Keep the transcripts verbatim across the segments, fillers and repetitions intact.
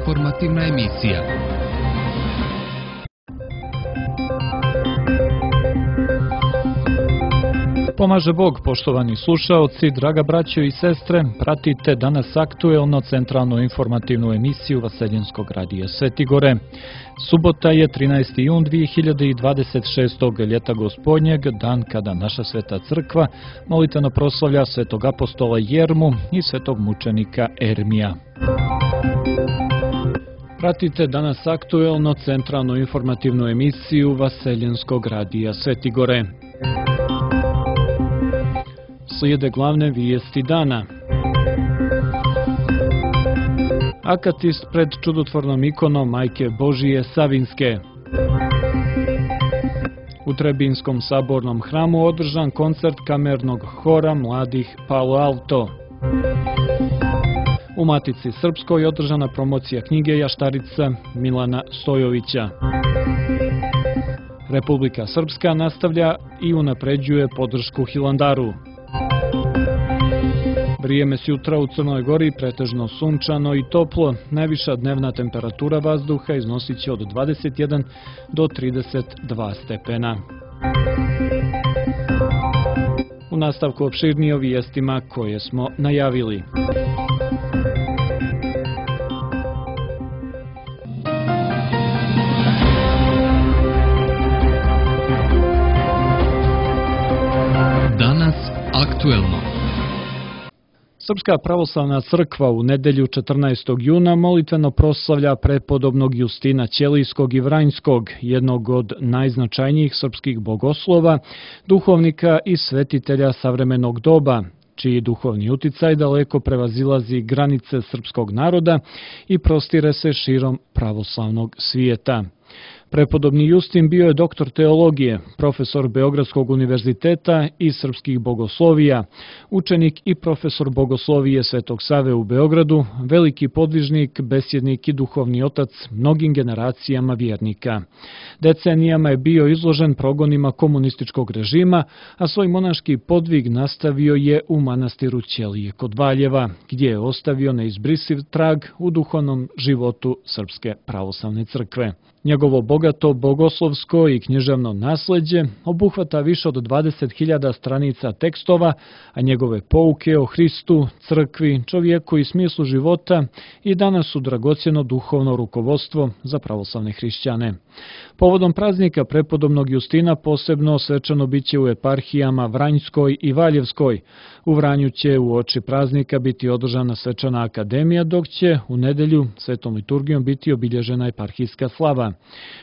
informativna emisija. Pomaže Bog, poštovani slušaoci, draga braćo i sestre, pratite danas aktuelno centralnu informativnu emisiju Vaseljenskog radija Sveti Gore. Subota je trinaesti jun dve hiljade dvadeset šestog. ljeta gospodnjeg, dan kada naša sveta crkva molitveno proslavlja svetog apostola Jermu i svetog mučenika Ermija. Pratite danas aktuelno centralnu informativnu emisiju Vaseljenskog radija Sveti Gore. Slijede glavne vijesti dana. Akatist pred čudotvornom ikonom Majke Božije Savinske. U Trebinskom sabornom hramu održan koncert kamernog hora mladih Palo Alto. U Matici Srpskoj održana promocija knjige Jaštarica Milana Stojovića. Republika Srpska nastavlja i unapređuje podršku Hilandaru. Vrijeme s jutra u Crnoj Gori pretežno sunčano i toplo, najviša dnevna temperatura vazduha iznosit će od dvadeset jedan do trideset dva stepena. U nastavku opširnije o vijestima koje smo najavili. Danas aktuelno. Srpska pravoslavna crkva u nedelju četrnaestog juna molitveno proslavlja prepodobnog Justina Ćelijskog i Vranjskog, jednog od najznačajnijih srpskih bogoslova, duhovnika i svetitelja savremenog doba, čiji duhovni uticaj daleko prevazilazi granice srpskog naroda i prostire se širom pravoslavnog svijeta. Prepodobni Justin bio je doktor teologije, profesor Beogradskog univerziteta i srpskih bogoslovija, učenik i profesor bogoslovije Svetog Save u Beogradu, veliki podvižnik, besjednik i duhovni otac mnogim generacijama vjernika. Decenijama je bio izložen progonima komunističkog režima, a svoj monaški podvig nastavio je u manastiru Ćelije kod Valjeva, gdje je ostavio neizbrisiv trag u duhovnom životu Srpske pravoslavne crkve. Njegovo bogato bogoslovsko i književno nasleđe obuhvata više od dvadeset hiljada stranica tekstova, a njegove pouke o Hristu, crkvi, čovjeku i smislu života i danas su dragocjeno duhovno rukovodstvo za pravoslavne hrišćane. Povodom praznika prepodobnog Justina posebno svečano biće u eparhijama Vranjskoj i Valjevskoj. U Vranju će u oči praznika biti održana svečana akademija, dok će u nedelju svetom liturgijom biti obilježena eparhijska slava.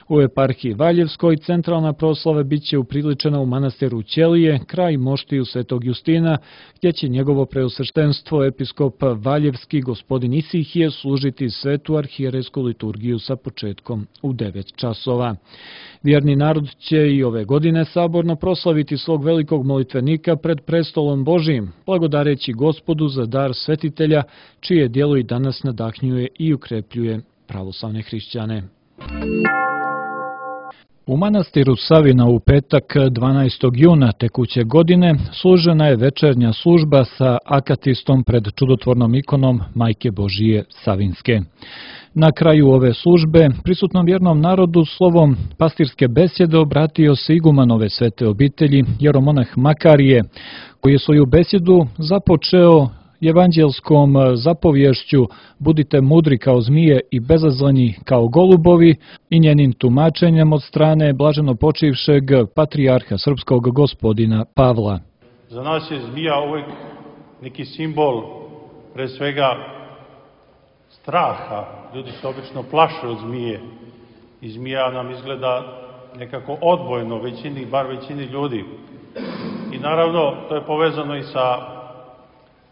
U eparhiji Valjevskoj centralna proslava biće upriličena u manastiru Ćelije, kraj moštiju svetog Justina, gdje će njegovo preosveštenstvo episkop Valjevski gospodin Isihije služiti svetu arhijerejsku liturgiju sa početkom u devet časova. Vjerni narod će i ove godine saborno proslaviti svog velikog molitvenika pred prestolom Božijim, blagodareći Gospodu za dar svetitelja, čije djelo i danas nadahnjuje i ukrepljuje pravoslavne hrišćane. U manastiru Savina u petak dvanaestog juna tekuće godine služena je večernja služba sa akatistom pred čudotvornom ikonom Majke Božije Savinske. Na kraju ove službe prisutnom vjernom narodu slovom pastirske besjede obratio se iguman ove svete obitelji, jeromonah Makarije, koji je svoju besjedu započeo evanđelskom zapovješću budite mudri kao zmije i bezazleni kao golubovi i njenim tumačenjem od strane blaženo počivšeg patrijarha srpskog gospodina Pavla. Za nas je zmija uvijek neki simbol pre svega straha. Ljudi se obično plaše od zmije i zmija nam izgleda nekako odbojno većini, bar većini ljudi. I naravno to je povezano i sa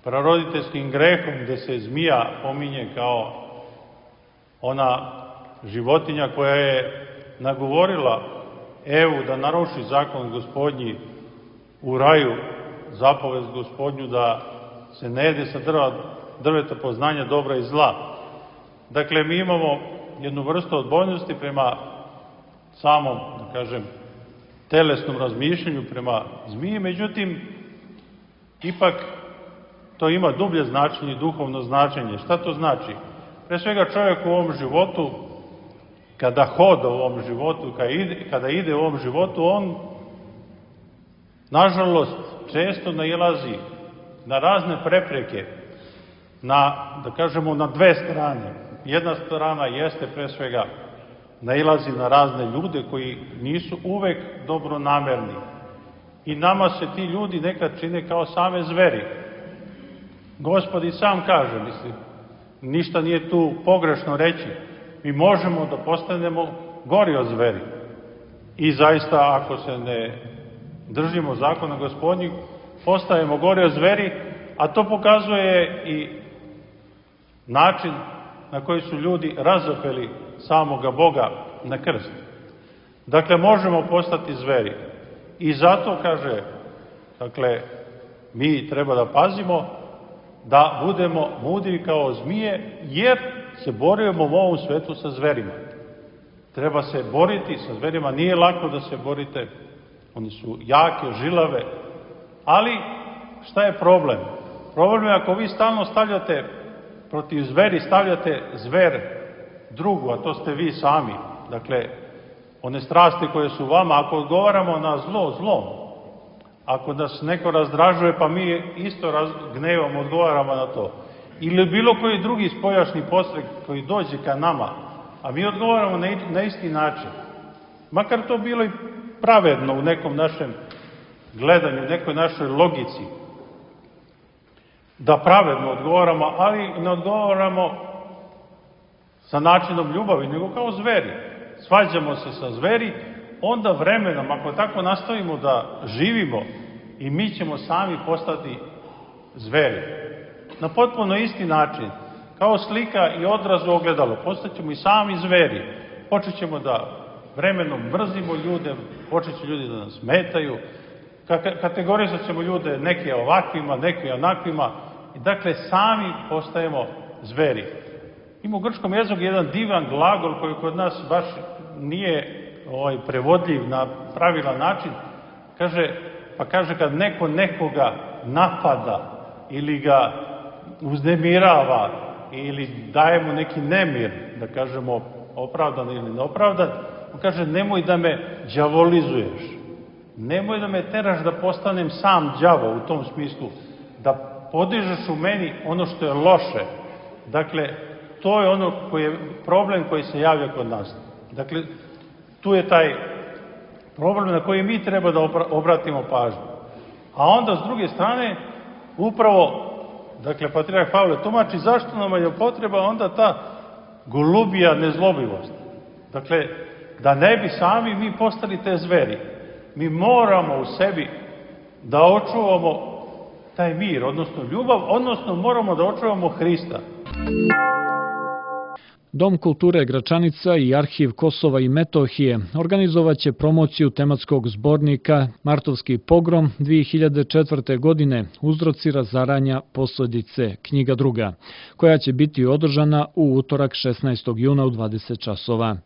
praroditeljskim grehom, gde se zmija pominje kao ona životinja koja je nagovorila Evu da naruši zakon gospodnji u raju, zapovest gospodnju da se ne jede sa drva, drveta poznanja dobra i zla. Dakle, mi imamo jednu vrstu odbojnosti prema samom, da kažem, telesnom razmišljanju prema zmiji, međutim, ipak to ima dublje značenje i duhovno značenje. Šta to znači? Pre svega čovjek u ovom životu, kada hoda u ovom životu, kada ide, kada ide u ovom životu, on, nažalost, često nailazi na razne prepreke, na, da kažemo, na dve strane. Jedna strana jeste pre svega nailazi na razne ljude koji nisu uvek dobronamerni. I nama se ti ljudi nekad čine kao same zveri. Gospod i sam kaže, mislim, ništa nije tu pogrešno reći. Mi možemo da postanemo gori od zveri. I zaista, ako se ne držimo zakona Gospodnjih, postajemo gori od zveri, a to pokazuje i način na koji su ljudi razapeli samoga Boga na krst. Dakle, možemo postati zveri. I zato, kaže, dakle, mi treba da pazimo da budemo mudri kao zmije, jer se borimo u ovom svetu sa zverima. Treba se boriti sa zverima, nije lako da se borite, oni su jake, žilave, ali šta je problem? Problem je ako vi stalno stavljate protiv zveri, stavljate zver drugu, a to ste vi sami. Dakle, one strasti koje su vama, ako odgovaramo na zlo, zlom, ako nas neko razdražuje, pa mi isto raz, gnevom odgovaramo na to. Ili bilo koji drugi spojašni postrek koji dođe ka nama, a mi odgovaramo na, na isti način. Makar to bilo i pravedno u nekom našem gledanju, u nekoj našoj logici. Da pravedno odgovaramo, ali ne odgovaramo sa načinom ljubavi, nego kao zveri. Svađamo se sa zveri, onda vremenom, ako tako nastavimo da živimo, i mi ćemo sami postati zveri. Na potpuno isti način, kao slika i odraz u ogledalo, postaćemo i sami zveri. Počet ćemo da vremenom mrzimo ljude, počet će ljudi da nas smetaju, kategorizat ćemo ljude neke ovakvima, neke onakvima, i dakle sami postajemo zveri. Ima u grčkom jeziku jedan divan glagol koji kod nas baš nije ovaj, prevodljiv na pravilan način. Kaže, pa kaže kad neko nekoga napada ili ga uznemirava ili daje mu neki nemir, da kažemo opravdan ili neopravdan, on kaže nemoj da me đavolizuješ, nemoj da me teraš da postanem sam đavo u tom smislu, da podižeš u meni ono što je loše. Dakle, to je ono koji je problem koji se javlja kod nas. Dakle, tu je taj problem na koji mi treba da obratimo pažnju. A onda, s druge strane, upravo, dakle, patrijarh Pavle tumači zašto nam je potreba onda ta golubija nezlobivost. Dakle, da ne bi sami mi postali te zveri. Mi moramo u sebi da očuvamo taj mir, odnosno ljubav, odnosno moramo da očuvamo Hrista. Dom kulture Gračanica i Arhiv Kosova i Metohije organizovaće promociju tematskog zbornika Martovski pogrom dve hiljade četvrte. godine Uzroci razaranja, posledice, knjiga druga, koja će biti održana u utorak šesnaestog juna u dvadeset časova.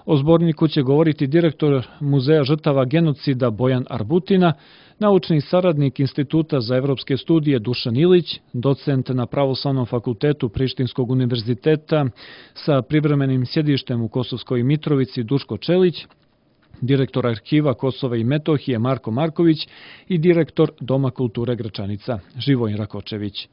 O zborniku će govoriti direktor Muzeja žrtava genocida Bojan Arbutina, naučni saradnik Instituta za evropske studije Dušan Ilić, docent na Pravoslavnom fakultetu Prištinskog univerziteta sa privremenim sjedištem u Kosovskoj Mitrovici Duško Čelić, direktor Arhiva Kosova i Metohije Marko Marković i direktor Doma kulture Gračanica Živojin Rakočević.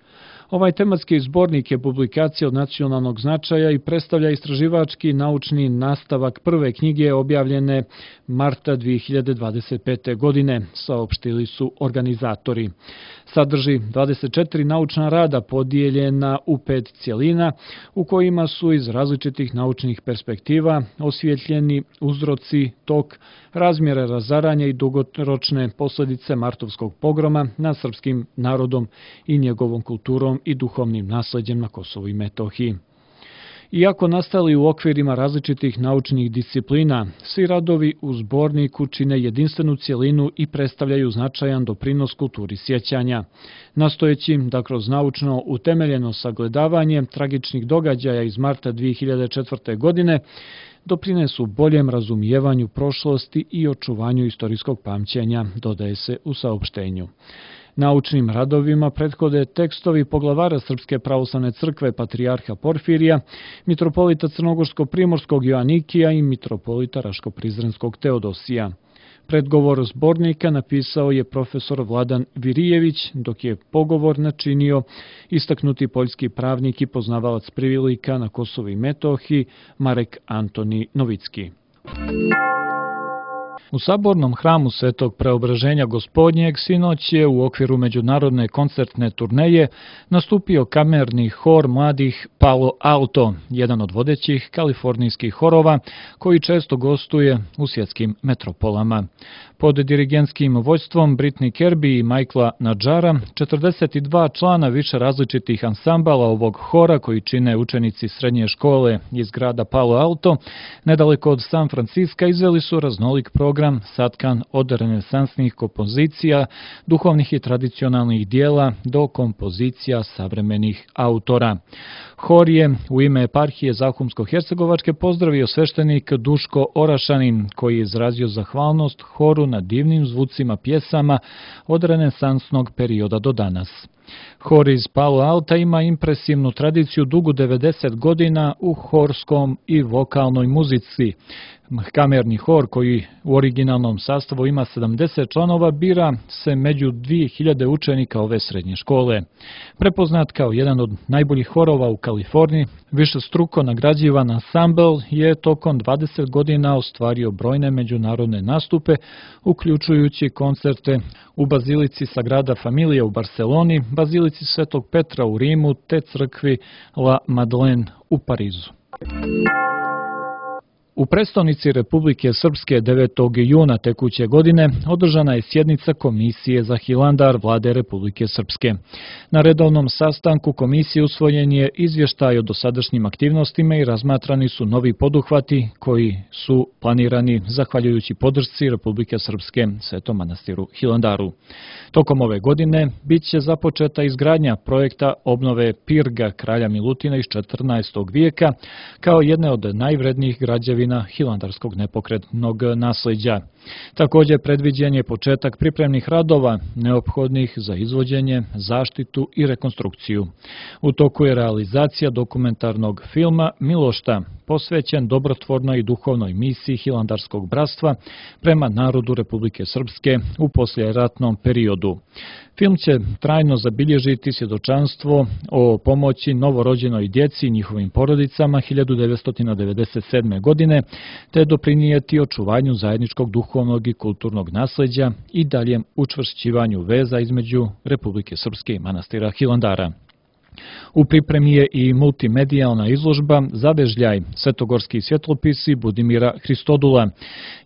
Ovaj tematski zbornik je publikacija od nacionalnog značaja i predstavlja istraživački naučni nastavak prve knjige objavljene marta dve hiljade dvadeset pete. godine, saopštili su organizatori. Sadrži dvadeset četiri naučna rada podijeljena u pet cjelina, u kojima su iz različitih naučnih perspektiva osvjetljeni uzroci, tok, razmjere razaranja i dugoročne posljedice Martovskog pogroma nad srpskim narodom i njegovom kulturom i duhovnim nasleđem na Kosovu i Metohiji. Iako nastali u okvirima različitih naučnih disciplina, svi radovi u zborniku čine jedinstvenu cjelinu i predstavljaju značajan doprinos kulturi sjećanja, nastojeći da kroz naučno utemeljeno sagledavanje tragičnih događaja iz marta dve hiljade četvrte. godine doprinesu boljem razumijevanju prošlosti i očuvanju istorijskog pamćenja, dodaje se u saopštenju. Naučnim radovima prethode tekstovi poglavara Srpske pravoslavne crkve patrijarha Porfirija, mitropolita Crnogorsko-primorskog Joanikija i mitropolita Raško-prizrenskog Teodosija. Predgovor zbornika napisao je profesor Vladan Virijević, dok je pogovor načinio istaknuti poljski pravnik i poznavalac prilika na Kosovu i Metohiji Marek Antoni Novicki. U sabornom hramu Svetog Preobraženja Gospodnjeg sinoć je u okviru međunarodne koncertne turneje nastupio kamerni hor mladih Palo Alto, jedan od vodećih kalifornijskih horova koji često gostuje u svjetskim metropolama. Pod dirigentskim vođstvom Britney Kirby i Michaela Nadžara, četrdeset dva člana više različitih ansambala ovog hora koji čine učenici srednje škole iz grada Palo Alto, nedaleko od San Franciska, izveli su raznolik program satkan od renesansnih kompozicija, duhovnih i tradicionalnih dijela do kompozicija savremenih autora. Hor je u ime eparhije Zahumsko-Hercegovačke pozdravio sveštenik Duško Orašanin, koji je izrazio zahvalnost horu na divnim zvucima pjesama od renesansnog perioda do danas. Hor iz Palo Alta ima impresivnu tradiciju dugu devedeset godina u horskom i vokalnoj muzici. Kamerni hor, koji u originalnom sastavu ima sedamdeset članova, bira se među dvije hiljade učenika ove srednje škole. Prepoznat kao jedan od najboljih horova u Kaliforniji, višestruko nagrađivan ansambl je tokom dvadeset godina ostvario brojne međunarodne nastupe, uključujući koncerte u Bazilici Sagrada Familija u Barceloni, Bazilici Svetog Petra u Rimu te crkvi La Madeleine u Parizu. U prestonici Republike Srpske devetog juna tekuće godine održana je sjednica Komisije za Hilandar Vlade Republike Srpske. Na redovnom sastanku komisije usvojen je izvještaj o dosadašnjim aktivnostima i razmatrani su novi poduhvati koji su planirani zahvaljujući podršci Republike Srpske Svetom manastiru Hilandaru. Tokom ove godine bit će započeta izgradnja projekta obnove pirga kralja Milutina iz četrnaestog vijeka kao jedne od najvrednijih građevina hilandarskog nepokretnog nasleđa. Također predviđen je početak pripremnih radova neophodnih za izvođenje, zaštitu i rekonstrukciju. U toku je realizacija dokumentarnog filma Milošta, posvećen dobrotvornoj i duhovnoj misiji Hilandarskog bratstva prema narodu Republike Srpske u poslijeratnom periodu. Film će trajno zabilježiti svjedočanstvo o pomoći novorođenoj djeci i njihovim porodicama hiljadu devetsto devedeset sedme. godine, te doprinijeti očuvanju zajedničkog duhovnog i kulturnog nasleđa i daljem učvršćivanju veza između Republike Srpske i manastira Hilandara. U pripremi je i multimedijalna izložba Zavežljaj, svetogorski svjetlopisi Budimira Hristodula.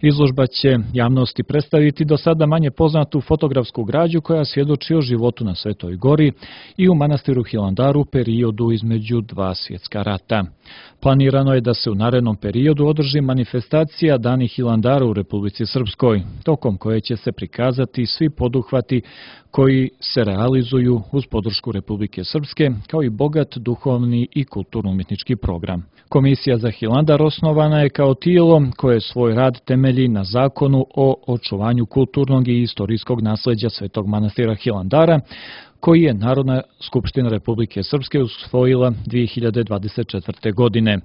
Izložba će javnosti predstaviti do sada manje poznatu fotografsku građu koja svjedoči o životu na Svetoj gori i u manastiru Hilandaru u periodu između dva svjetska rata. Planirano je da se u narednom periodu održi manifestacija Dani Hilandara u Republici Srpskoj, tokom koje će se prikazati svi poduhvati koji se realizuju uz podršku Republike Srpske, kao i bogat duhovni i kulturno-umjetnički program. Komisija za Hilandar osnovana je kao tijelo koje svoj rad temelji na zakonu o očuvanju kulturnog i istorijskog nasleđa Svetog manastira Hilandara, koji je Narodna skupština Republike Srpske usvojila dvije hiljade dvadeset četvrte. godine.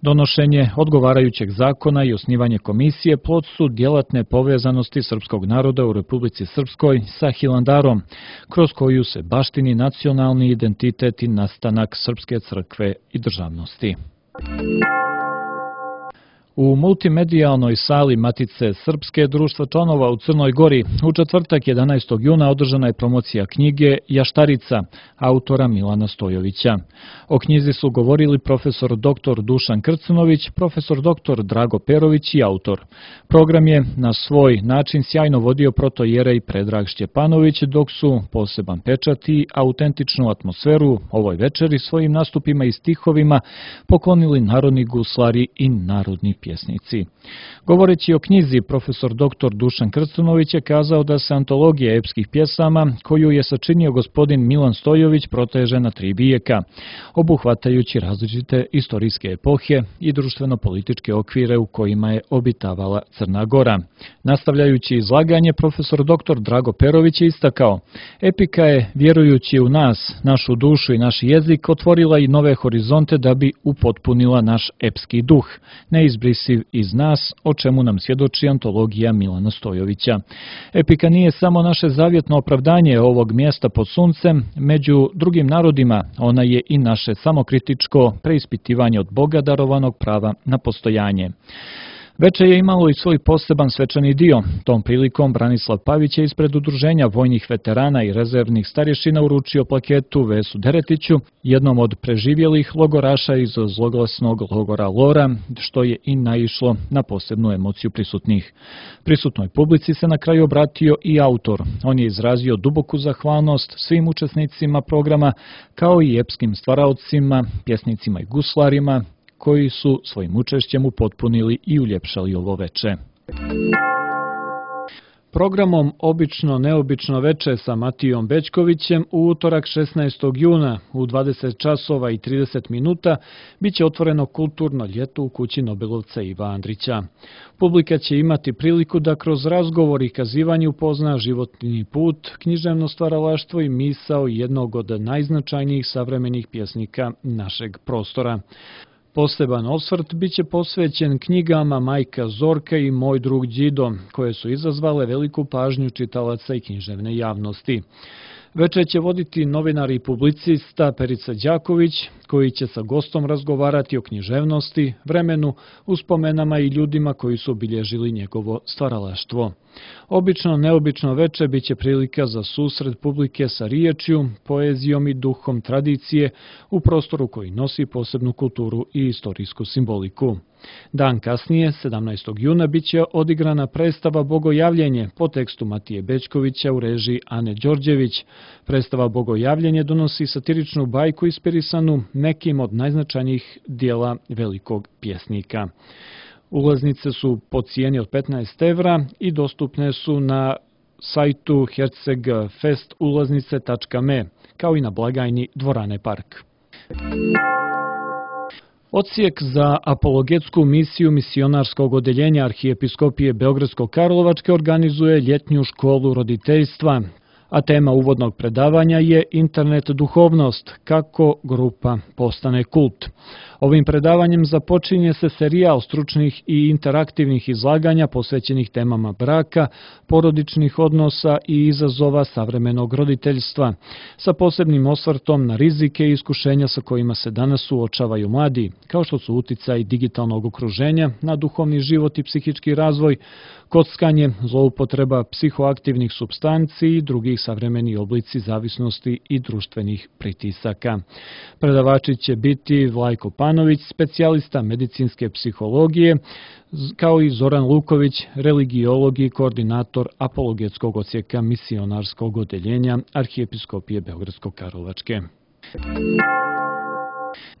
Donošenje odgovarajućeg zakona i osnivanje komisije plod su djelatne povezanosti srpskog naroda u Republici Srpskoj sa Hilandarom, kroz koju se baštini nacionalni identitet i nastanak Srpske crkve i državnosti. U multimedijalnoj sali Matice Srpske društva članova u Crnoj Gori u četvrtak jedanaestog juna održana je promocija knjige Jaštarica autora Milana Stojovića. O knjizi su govorili profesor doktor Dušan Krcnović, profesor doktor Drago Perović i autor. Program je na svoj način sjajno vodio protojerej Predrag Šćepanović, dok su poseban pečat i autentičnu atmosferu ovoj večeri svojim nastupima i stihovima poklonili narodni guslari i narodni pjesnici. pjesnici. Govoreći o knjizi, profesor doktor Dušan Krstunović je kazao da se antologija epskih pjesama, koju je sačinio gospodin Milan Stojović, proteže na tri vijeka, obuhvatajući različite istorijske epohe i društveno-političke okvire u kojima je obitavala Crna Gora. Nastavljajući izlaganje, profesor doktor Drago Perović je istakao: epika je, vjerujući u nas, našu dušu i naš jezik, otvorila i nove horizonte da bi upotpunila naš epski duh, neizbrisiv iz nas, o čemu nam svjedoči antologija Milana Stojovića. Epika nije samo naše zavjetno opravdanje ovog mjesta pod suncem, među drugim narodima ona je i naše samokritičko preispitivanje od Boga darovanog prava na postojanje. Veče je imalo i svoj poseban svečani dio. Tom prilikom Branislav Pavić je ispred udruženja vojnih veterana i rezervnih starješina uručio plaketu Vesu Deretiću, jednom od preživjelih logoraša iz zloglasnog logora Lora, što je i naišlo na posebnu emociju prisutnih. Prisutnoj publici se na kraju obratio i autor. On je izrazio duboku zahvalnost svim učesnicima programa, kao i epskim stvaraocima, pjesnicima i guslarima, koji su svojim učešćem upotpunili i uljepšali ovo veče. Programom Obično neobično veče sa Matijom Bećkovićem u utorak šesnaestog juna u dvadeset časova i trideset minuta biće otvoreno kulturno ljeto u kući nobelovca Iva Andrića. Publika će imati priliku da kroz razgovor i kazivanje upozna životni put, književno stvaralaštvo i misao jednog od najznačajnijih savremenih pjesnika našeg prostora. Poseban osvrt biće posvećen knjigama Majka Zorka i Moj drug Đido, koje su izazvale veliku pažnju čitalaca i književne javnosti. Večer će voditi novinar i publicista Perica Đaković, koji će sa gostom razgovarati o književnosti, vremenu, uspomenama i ljudima koji su obilježili njegovo stvaralaštvo. Obično neobično veče biće prilika za susret publike sa riječju, poezijom i duhom tradicije u prostoru koji nosi posebnu kulturu i istorijsku simboliku. Dan kasnije, sedamnaestog juna, biće odigrana predstava Bogojavljenje po tekstu Matije Bećkovića u režiji Ane Đorđević. Predstava Bogojavljenje donosi satiričnu bajku inspirisanu nekim od najznačajnijih dijela velikog pjesnika. Ulaznice su po cijeni od petnaest evra i dostupne su na sajtu hercegfest ulaznice tačka me, kao i na blagajni Dvorane Park. Odsjek za apologetsku misiju misionarskog odeljenja Arhijepiskopije Beogradsko-Karlovačke organizuje ljetnju školu roditeljstva, a tema uvodnog predavanja je Internet duhovnost, kako grupa postane kult. Ovim predavanjem započinje se serijal stručnih i interaktivnih izlaganja posvećenih temama braka, porodičnih odnosa i izazova savremenog roditeljstva, sa posebnim osvrtom na rizike i iskušenja sa kojima se danas suočavaju mladi, kao što su uticaj digitalnog okruženja na duhovni život i psihički razvoj, kockanje, zloupotreba psihoaktivnih supstanci i drugih savremenih oblici zavisnosti i društvenih pritisaka. Predavači će biti Vlajko Panović, specijalista medicinske psihologije, kao i Zoran Luković, religiolog i koordinator apologetskog odsjeka misionarskog odeljenja Arhijepiskopije Beogradsko-Karlovačke.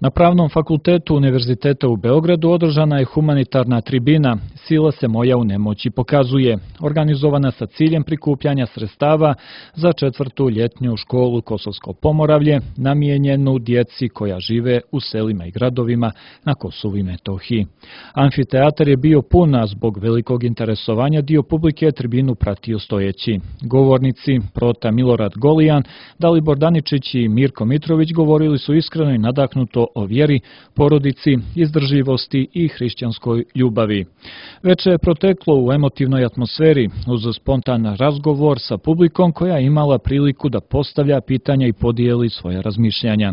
Na Pravnom fakultetu Univerziteta u Beogradu održana je humanitarna tribina Sila se moja u nemoći pokazuje, organizovana sa ciljem prikupljanja sredstava za četvrtu ljetnju školu Kosovsko Pomoravlje, namijenjenu djeci koja žive u selima i gradovima na Kosovu i Metohiji. Amfiteatar je bio pun, a zbog velikog interesovanja dio publike je tribinu pratio stojeći. Govornici Prota Milorad Golijan, Dalibor Daničić i Mirko Mitrović govorili su iskreno i nadahnuto o vjeri, porodici, izdržljivosti i hrišćanskoj ljubavi. Veče je proteklo u emotivnoj atmosferi uz spontan razgovor sa publikom koja je imala priliku da postavlja pitanja i podijeli svoje razmišljanja.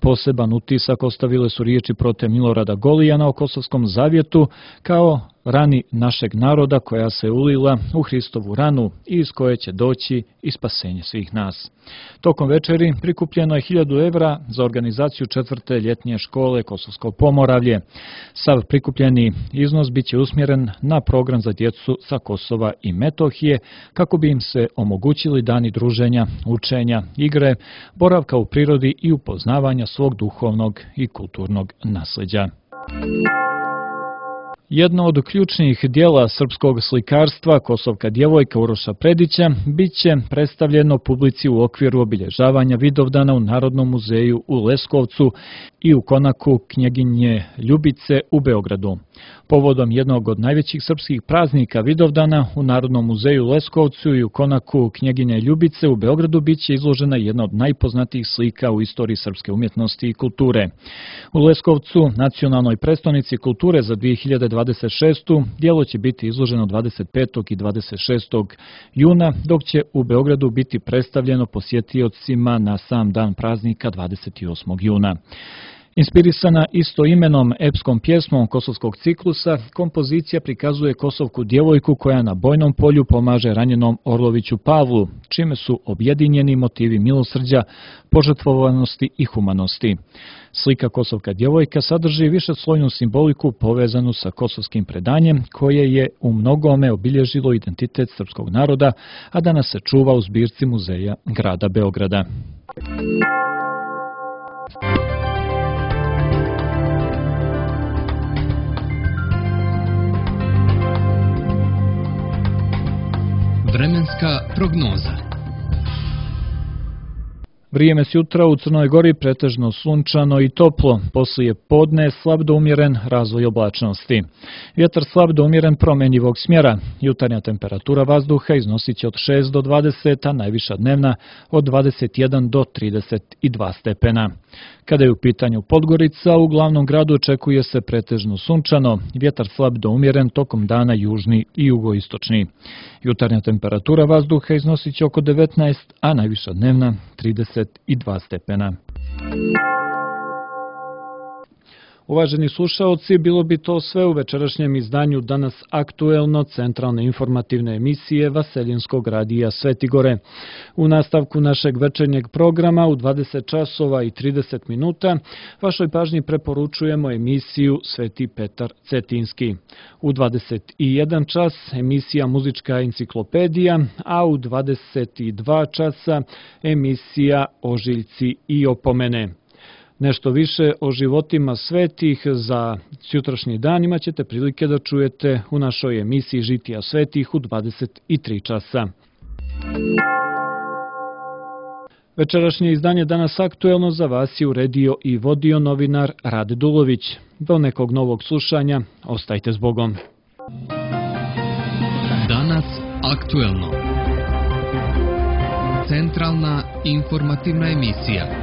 Poseban utisak ostavile su riječi Prote Milorada Golijana o Kosovskom zavjetu kao rani našeg naroda koja se ulila u Hristovu ranu i iz koje će doći i spasenje svih nas. Tokom večeri prikupljeno je hiljadu evra za organizaciju četvrte ljetnje škole Kosovsko Pomoravlje. Sav prikupljeni iznos biće usmjeren na program za djecu sa Kosova i Metohije kako bi im se omogućili dani druženja, učenja, igre, boravka u prirodi i upoznavanja svog duhovnog i kulturnog nasljeđa. Jedno od ključnih dijela srpskog slikarstva, Kosovka djevojka Uroša Predića, bit će predstavljeno publici u okviru obilježavanja Vidovdana u Narodnom muzeju u Leskovcu i u konaku Knjeginje Ljubice u Beogradu. Povodom jednog od najvećih srpskih praznika Vidovdana u Narodnom muzeju u Leskovcu i u konaku Knjeginje Ljubice u Beogradu bit će izložena jedna od najpoznatijih slika u istoriji srpske umjetnosti i kulture. U Leskovcu, nacionalnoj prestonici kulture za dvije hiljade dvadeset šestu. djelo će biti izloženo dvadeset petog i dvadeset šestog juna, dok će u Beogradu biti predstavljeno posjetiocima na sam dan praznika dvadeset osmog juna. Inspirisana istoimenom epskom pjesmom kosovskog ciklusa, kompozicija prikazuje kosovku djevojku koja na bojnom polju pomaže ranjenom Orloviću Pavlu, čime su objedinjeni motivi milosrđa, požrtvovanosti i humanosti. Slika Kosovka djevojka sadrži višeslojnu simboliku povezanu sa kosovskim predanjem, koje je u mnogome obilježilo identitet srpskog naroda, a danas se čuva u zbirci muzeja grada Beograda. Vremenska prognoza. Vrijeme s jutra u Crnoj Gori pretežno sunčano i toplo, poslije podne slab do umjeren razvoj oblačnosti. Vjetar slab do umjeren promenjivog smjera. Jutarnja temperatura vazduha iznosit će od šest do dvadeset, a najviša dnevna od dvadeset jedan do trideset dva stepena. Kada je u pitanju Podgorica, u glavnom gradu očekuje se pretežno sunčano, vjetar slab do umjeren tokom dana južni i jugoistočni. Jutarnja temperatura vazduha iznosit će oko devetnaest, a najviša dnevna trideset dva stepena. Uvaženi slušaoci, bilo bi to sve u večerašnjem izdanju Danas aktuelno centralne informativne emisije Vaseljinskog radija Svetigore. U nastavku našeg večernjeg programa u dvadeset časova i trideset minuta vašoj pažnji preporučujemo emisiju Sveti Petar Cetinski. U dvadeset jedan čas emisija Muzička enciklopedija, a u dvadeset dva časa emisija Ožiljci i opomene. Nešto više o životima svetih za sutrašnji dan imat ćete prilike da čujete u našoj emisiji Žitija svetih u dvadeset tri časa. Večerašnje izdanje Danas aktuelno za vas je uredio i vodio novinar Rade Dulović. Do nekog novog slušanja, ostajte s Bogom. Danas aktuelno. Centralna informativna emisija.